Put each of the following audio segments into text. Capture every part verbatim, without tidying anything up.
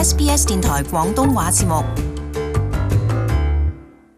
S B S 電台廣東話節目。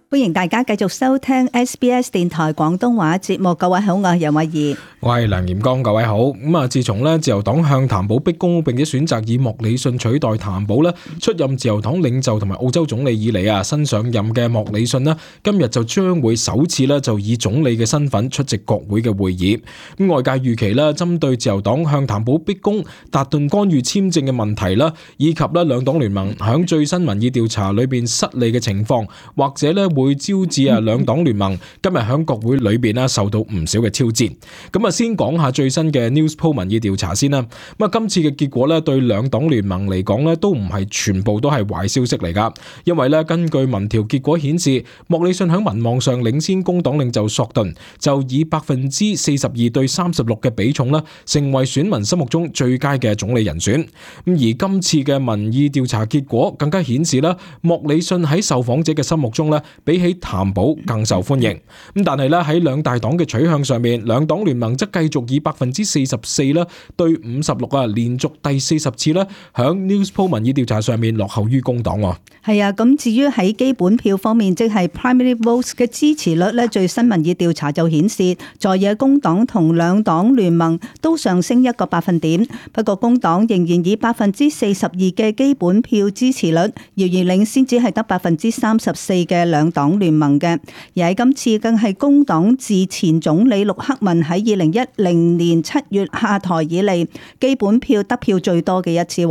歡迎大家繼續收聽 S B S 電台廣東話節目。各位好，我係楊慧儀，我係梁炎剛。各位好。咁啊，自從咧自由黨向譚寶逼宮，並且選擇以莫里遜取代譚寶咧出任自由黨領袖同埋澳洲總理以嚟啊，新上任嘅莫里遜咧今日就將會首次咧就以總理嘅身份出席國會嘅會議。咁外界預期咧，針對自由黨向譚寶逼宮、達頓干預簽證嘅問題啦，以及咧兩黨聯盟響最新民意調查裏邊失利嘅情況，或者咧會會招致啊兩黨聯盟今日喺國會裏邊啦受到唔少嘅挑戰。咁啊，先講下最新嘅 Newspoll 民意調查先啦。咁啊，今次嘅結果咧對兩黨聯盟嚟講咧都唔係全部都係壞消息嚟噶，因為咧根據民調結果顯示，莫里遜喺民望上領先工黨領袖索頓，就以百分之四十二對三十六嘅比重啦，成為選民心目中最佳嘅總理人選。咁而今次嘅民意調查結果更加顯示啦，莫里遜喺受訪者嘅心目中咧比起譚寶更受歡迎。咁但係咧喺兩大黨嘅取向上面，兩黨聯盟則繼續以百分之四十四啦對五十六啊，連續第四十次咧響 Newspoll 民意調查上面落後於工黨。係啊，咁至於喺基本票方面，即係 primary votes 嘅支持率咧，最新民意調查就顯示，在野工黨同兩黨聯盟都上升一個百分點。不過工黨仍然以百分之四十二嘅基本票支持率，遙遙領先，只係得百分之三十四嘅兩黨聯盟嘅。而喺今次更係工黨自前總理陸克文喺二零一零年七月下台以嚟，基本票得票最多嘅一次。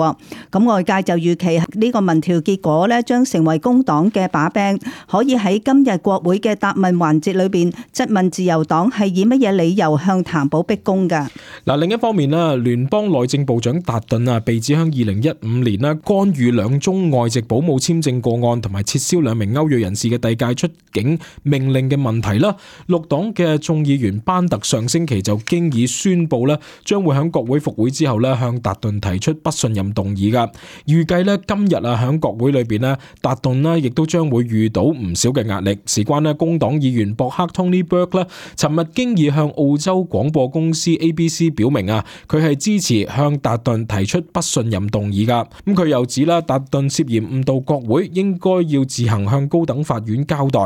咁外界就預期呢個民調結果咧，將成為工黨嘅把柄，可以喺今日國會嘅答問環節裏邊質問自由黨係以乜嘢理由向譚寶逼宮噶。嗱，另一方面啦，聯邦內政部長達頓啊，被指向二零一五年啦干預兩宗外籍保姆簽證個案，同埋撤銷兩名歐裔人士嘅遞解出境命令嘅問題啦。綠黨嘅眾議員班特上星期就經已宣布咧，將會喺國會復會之後咧向達頓提出不信任動議噶。預計咧今日啊喺國會裏邊咧，達頓咧亦都將會遇到唔少嘅壓力。事關咧工黨議員博克 Tony Burke 咧，尋日經已向澳洲廣播公司 A B C 表明啊，佢係支持向達頓提出不信任動議噶。咁佢又指啦，達頓涉嫌誤導國會，應該要自行向高等法院交代。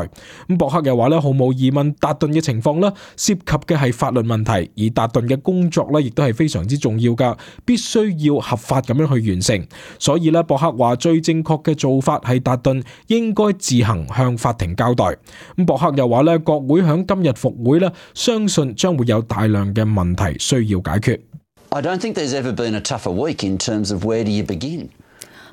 咁博克又話咧，毫無疑問，達頓嘅情況咧涉及嘅係法律問題，而達頓嘅工作咧亦都係非常之重要噶，必須要合法咁樣去完成。所以咧，博克話最正確嘅做法係達頓應該自行向法庭交代。咁博克又話咧，國會響今日復會咧，相信將會有大量嘅問題需要解決。I don't think there's ever been a tougher week in terms of where do you begin.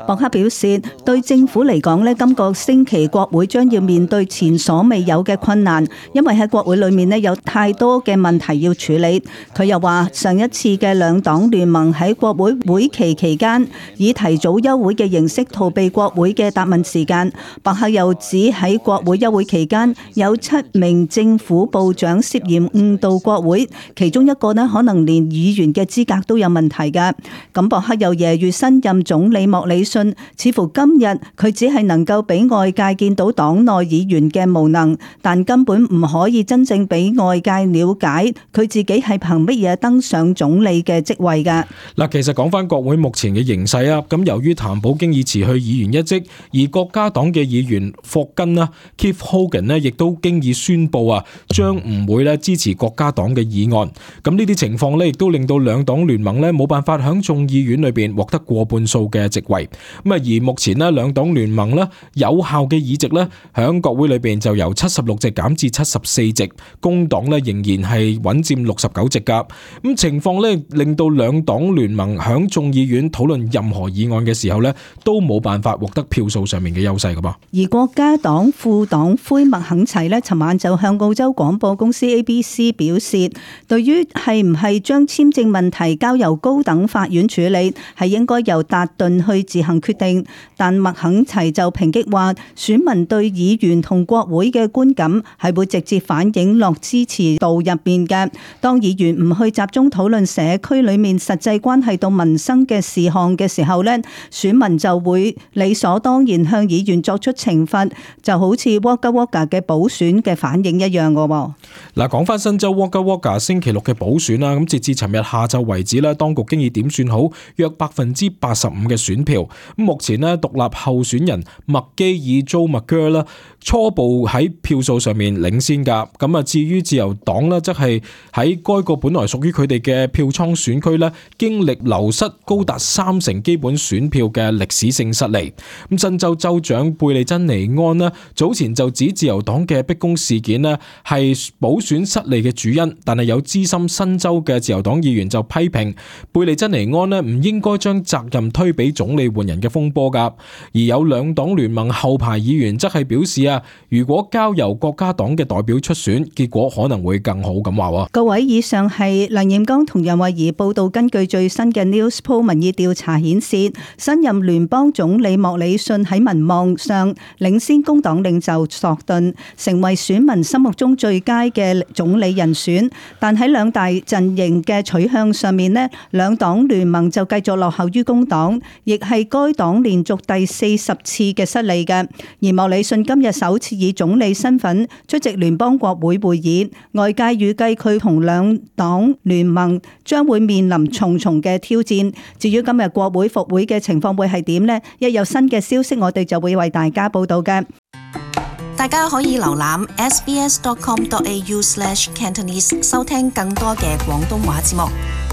博克表示，對政府嚟講咧，今個星期國會將要面對前所未有嘅困難，因為喺國會裏面咧有太多嘅問題要處理。佢又話，上一次嘅兩黨聯盟喺國會會期期間以提早休會嘅形式逃避國會嘅答問時間。博克又指喺國會休會期間有七名政府部長涉嫌誤導國會，其中一個咧可能連議員嘅資格都有問題㗎。咁博克又揶揄新任總理莫里遜，似乎今日佢只係能夠俾外界見到黨內議員嘅無能，但根本唔可以真正俾外界了解佢自己係憑乜嘢登上總理嘅職位㗎。嗱，其實講翻國會目前嘅形勢啊，咁由於譚寶經已辭去議員一職，而國家黨嘅議員霍根啦 Keith Hogan 咧，亦都經已宣布啊，將唔會咧支持國家黨嘅議案。咁呢啲情況咧，亦都令到兩黨聯盟咧冇辦法響眾議院裏邊獲得過半數嘅席位。咁啊，而目前咧兩黨聯盟咧有效嘅議席咧，響國會裏邊就由七十六席減至七十四席，工黨咧仍然係穩佔六十九席噶。咁情況咧令到兩黨聯盟響眾議院討論任何議案嘅時候咧，都冇辦法獲得票數上面嘅優勢噶噃。而國家黨副黨魁麥肯齊咧，尋晚就向澳洲廣播公司 A B C 表示，對於係唔係將簽證問題交由高等法院處理，係應該由達頓去自行決定。但麥肯齊就抨擊話，選民對議員同國會嘅觀感係會直接反映落支持度入面嘅。當議員唔去集中討論社區裏面實際關係到民生嘅事項嘅時候呢，選民就會理所當然向議員作出懲罰，就好似 Wagga Wagga 嘅補選嘅反應一樣嘅。嗱，講翻新州 Wagga Wagga 星期六嘅補選啦，咁截至尋日下晝為止咧，當局經已點算好約百分之八十五嘅選票，目前呢，獨立候選人麥基爾·租麥戈啦，初步喺票數上面領先㗎。咁啊，至於自由黨呢，則係喺該個本來屬於佢哋嘅票倉選區呢，經歷流失高達三成基本選票嘅歷史性失利。咁新州州長貝利珍尼安呢，早前就指自由黨嘅逼宮事件呢係補選失利嘅主因，但係有資深新州嘅自由黨議員就批評貝利珍尼安呢唔應該將責任推俾總理換人嘅風波㗎。而有兩黨聯盟後排議員則係表示啊，如果交由國家黨嘅代表出選，結果可能會更好咁話。各位，以上係梁彥剛同楊慧儀報道，根據最新嘅 Newspoll 民意調查顯示，新任聯邦總理莫里遜喺民望上領先工黨領袖索頓，成為選民心目中最佳嘅總理人選。但喺兩大陣營嘅取向上面呢，兩黨聯盟就繼續落後於工黨，亦係該黨連續第四十次嘅失利嘅。而莫里遜今日首次以總理身份出席聯邦國會會議，外界預計佢同兩黨聯盟將會面臨重重嘅挑戰。至於今日國會復會嘅情況會係點呢？一有新嘅消息，我哋就會為大家報道嘅。大家可以瀏覽 s b s dot com dot a u slash cantonese 收聽更多嘅廣東話節目。